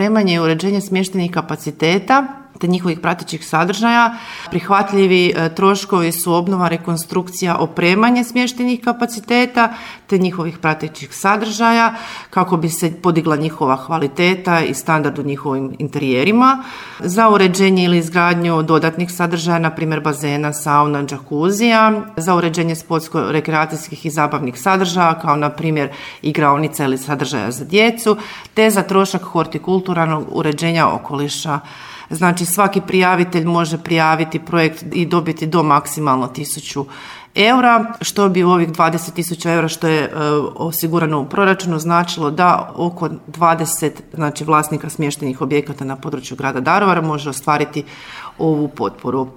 opremanje i uređenje smještajnih kapaciteta te njihovih pratećih sadržaja. Prihvatljivi troškovi su obnova, rekonstrukcija, opremanje smještajnih kapaciteta te njihovih pratećih sadržaja kako bi se podigla njihova kvaliteta i standard u njihovim interijerima. Za uređenje ili izgradnju dodatnih sadržaja, na primjer bazena, sauna, džakuzija. Za uređenje sportsko-rekreacijskih i zabavnih sadržaja kao na primjer igraonica ili sadržaja za djecu, te za trošak hortikulturalnog uređenja okoliša. Znači svaki prijavitelj može prijaviti projekt i dobiti do maksimalno 1.000 eura, što bi u ovih 20.000 eura što je osigurano u proračunu značilo da oko 20 vlasnika smještajnih objekata na području grada Daruvara može ostvariti ovu potporu.